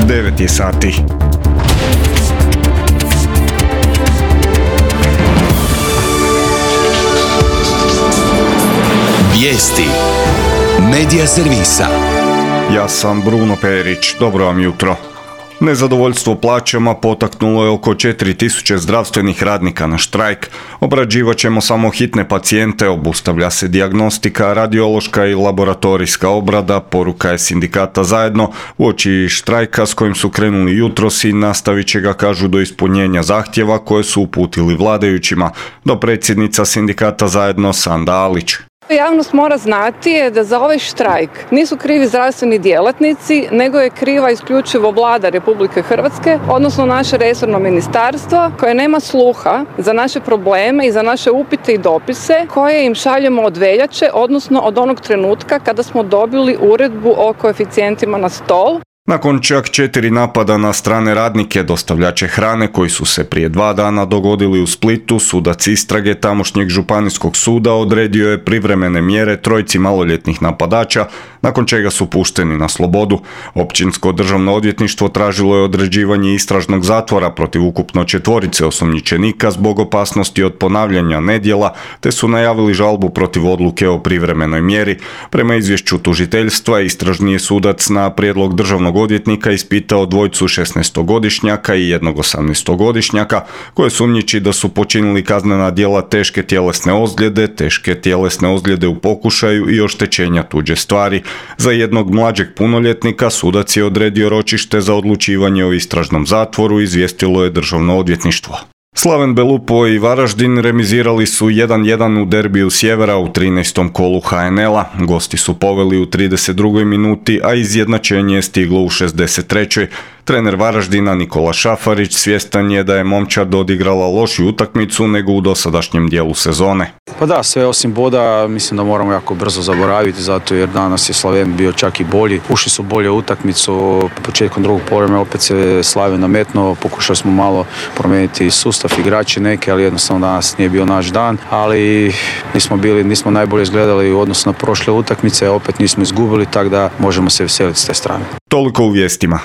9 je sati. Vijesti Medija servisa. Ja sam Bruno Perić, dobro vam jutro. Nezadovoljstvo plaćama potaknulo je oko 4000 zdravstvenih radnika na štrajk. Obrađivat ćemo samo hitne pacijente, obustavlja se dijagnostika, radiološka i laboratorijska obrada, poruka je sindikata Zajedno uoči štrajka s kojim su krenuli jutros i nastavit će ga, kažu, do ispunjenja zahtjeva koje su uputili vladajućima. Dopredsjednica sindikata Zajedno Sanda Alić. Javnost mora znati je da za ovaj štrajk nisu krivi zdravstveni djelatnici, nego je kriva isključivo Vlada Republike Hrvatske, odnosno naše resorno ministarstvo koje nema sluha za naše probleme i za naše upite i dopise koje im šaljemo od veljače, odnosno od onog trenutka kada smo dobili uredbu o koeficijentima na stol. Nakon čak 4 napada na strane radnike, dostavljače hrane koji su se prije 2 dana dogodili u Splitu, sudac istrage tamošnjeg županijskog suda odredio je privremene mjere 3 maloljetnih napadača, nakon čega su pušteni na slobodu. Općinsko državno odvjetništvo tražilo je određivanje istražnog zatvora protiv ukupno 4 osumnjičenika zbog opasnosti od ponavljanja nedjela, te su najavili žalbu protiv odluke o privremenoj mjeri. Prema izvješću tužiteljstva, istražni je sudac na prijedlog državnog odvjetnika ispitao 2 16-godišnjaka i 1 18-godišnjaka koje sumnjiči da su počinili kaznena djela teške tjelesne ozljede u pokušaju i oštećenja tuđe stvari. Za jednog mlađeg punoljetnika sudac je odredio ročište za odlučivanje o istražnom zatvoru, izvijestilo je državno odvjetništvo. Slaven Belupo i Varaždin remizirali su 1:1 u derbiju Sjevera u 13. kolu HNL-a. Gosti su poveli u 32. minuti, a izjednačenje je stiglo u 63. Trener Varaždina Nikola Šafarić svjestan je da je momčad odigrala lošiju utakmicu nego u dosadašnjem dijelu sezone. Pa da, sve osim boda mislim da moramo jako brzo zaboraviti, zato jer danas je Slaven bio čak i bolji. Ušli su bolje u utakmicu, početkom drugog poluvremena opet se Slaven nametnuo, pokušali smo malo promijeniti sustav, igrači neke, ali jednostavno danas nije bio naš dan, ali nismo najbolje izgledali u odnosu na prošle utakmice, opet nismo izgubili, tako da možemo se veseliti s te strane. Toliko u vijestima.